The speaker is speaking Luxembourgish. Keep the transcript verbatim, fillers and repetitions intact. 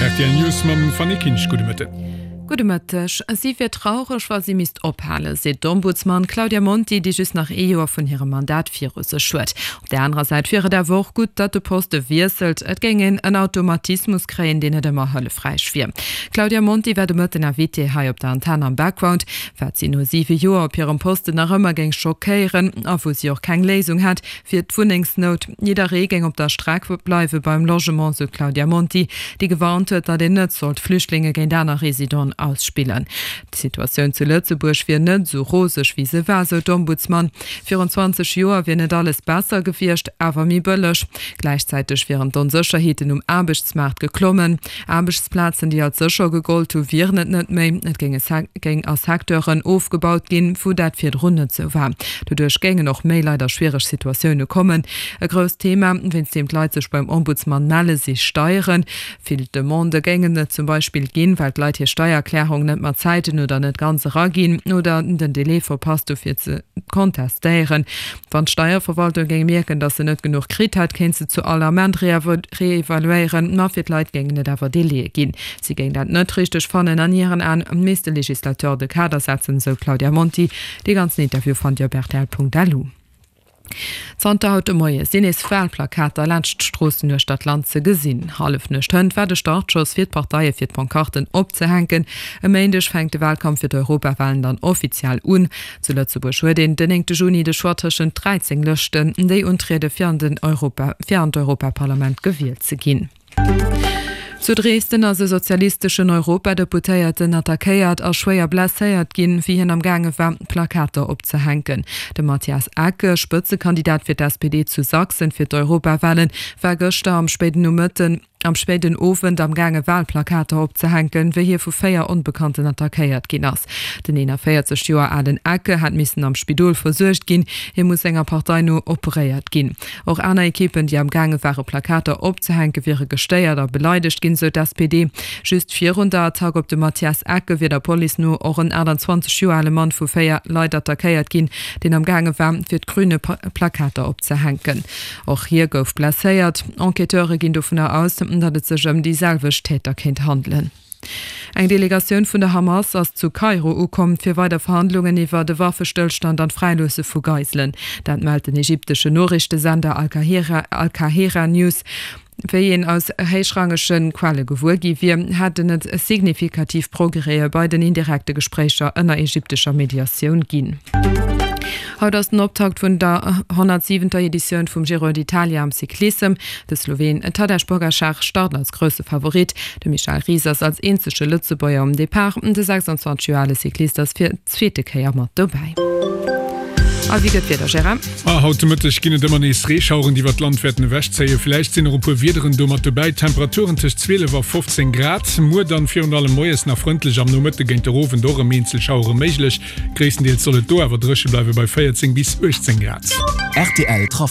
Rtl News mam Fanny Kinsch. Gudde Mëtten. Gudde Mëtteg. Si wier traureg, wa si misst ophalen, seet d'Ombudsman Claudia Monti, déi just nach ee Joer vun hirem Mandat viru sech huet. Op där anerer Säit wier et awer och gutt, datt de Poste wiesselt. Et géing een en Automatismus kréien, deen net ëmmer hëllefräich wier. D'Claudia Monti war de Mëtten Invitée hei op der Antenn am Background. Wat si no siwe Joer op hirem Posten nach ëmmer géing schockéieren a wou si och keng Léisung hätt, wier d'Wunnengsnout. Jidderee géing op der Streck bleiwe beim Logement, sou d'Claudia Monti, déi gewarnt huet, datt een net sollt Flüchtlinge géint aner Residenten ausspillen. D'Situatioun zu Lëtzebuerg wier net esou roseg wéi se war, sou d'Ombudsman. Virun zwanzeg Joer wier net alles besser gewiescht, awer méi bëlleg. Gläichzäiteg wieren d'Onsécherheeten um Aarbechtsmaart geklommen. Aarbechtsplazen, déi als sécher gegollt hu wieren et net méi. Et géing a Secteuren ofgebaut ginn, wou dat virdrun net sou war. Doduerch géingen och méi Leit a schwiereg Situatioune kommen. E grousst Thema, wéinst deem d'Leit sech beim Ombudsman melle si Steieren. Vill Demandë géingen et zum Beispill ginn, well d'Leit hir Steiererklärung net mat Zäiten oder net ganz eraginn oder den Delai verpasst hu fir ze kontestéieren. Wann d'Steierverwaltung géing mierken, datt se net genuch kritt hätt, kéint se zu all Ament reevaluéieren, ma fir d'Leit géingen et awer Delaie ginn. Si géing dat net richteg fannen. An hiren Aen misst de Legislateur de Kader setzen, sou d'Claudia Monti. Dee ganzen Interview fannt Dir op rtl.lu. Zanter haut de Moie sinn nees Walplakater laanscht d'Stroossen uechter d'Land ze gesinn. Hallefnuecht hënt war de Startschoss fir d'Parteie fir d'Pancarten opzehänken. E Méindeg fänkt de Walkampf fir d'Europawalen dann offiziell un. Zu Lëtzebuerg huet een den néngte Juni de Choix tëschent dräizéng Lëschten, déi untriede fir an den Europa fir an d'Europaparlament gewielt ze ginn. Zu Dresden ass e sozialisteschen Europadeputéierten attackéiert a schwéier blesséiert ginn, wéi hien am gaange war, Plakater opzehänken. De Matthias Ecke, Spëtzekandidat fir d'S P D zu Sachsen fir d'Europawalen, war gëschter am spéiden Nomëtten am spéiden Owend am gaange Walplakater opzehänken, wéi hie vu véier Onbekannten attackéiert ginn ass. Den eenanvéierzeg Joer alen Ecke hat missen am Spidol versuergt ginn, hie muss senger Partei no operéiert ginn. Och aner Ekippen, déi am gaange ware Plakater opzehänken, wiere gestéiert a beleidegt ginn, sou d'S P D. Just virun der Attack op de Mathias Ecke wier der Police no och en aachtanzwanzeg Joer ale Mann vu véier Leit attackéiert ginn, deen am gaange war, fir d'Grüne Plakater opzehänken. Och hie gouf blesséiert. Enquêteure ginn dovunner aus, datt et sech ëm déi selwecht Täter kéint handelen. Eng Delegatioun vun der Hamas ass zu Kairo ukomm, fir weider Verhandlungen iwwer e Waffestëllstand an d'Fräiloosse vu Geiselen. Dat mellt den ägyptesche Noriichtesender Al-Qahera News. Wéi een aus héichrangege Quelle gewuer gi wier, hätten et signifikativ Progrèse bei den indirekte Gespréicher ënner ägyptescher Mediatioun ginn. Haut ass den Optakt vun der honnertsiwenter Editioun vum Giro d'Italia am Cyclissem. De Sloween Tadej Pogacar start als grousse Favorit. De Michel Ries ass als eenzege Lëtzebuerger um Depart. De sechsundzwanzeg Joer ale Cyclist ass fir d'zweete Kéier mat dobäi. A wéi gëtt d'Wieder, Gérard? A haut de Mëtteg ginn et ëmmer nees Reeschaueren, déi iwwer d'Land wäerten ewechzéien. Villäicht sinn och e puer Wiederen do mat dobäi. Temperaturen tëscht zwielef a fofzéng Grad. Muer dann virun allem moies nach frëndlech, am Nomëtte géint der Owend och erëm eenzel Schauere méiglech. Gréisstendeels soll et do awer dréche bleiwe bei véierzéng bis uechtzéng Grad. Rtl Trafic.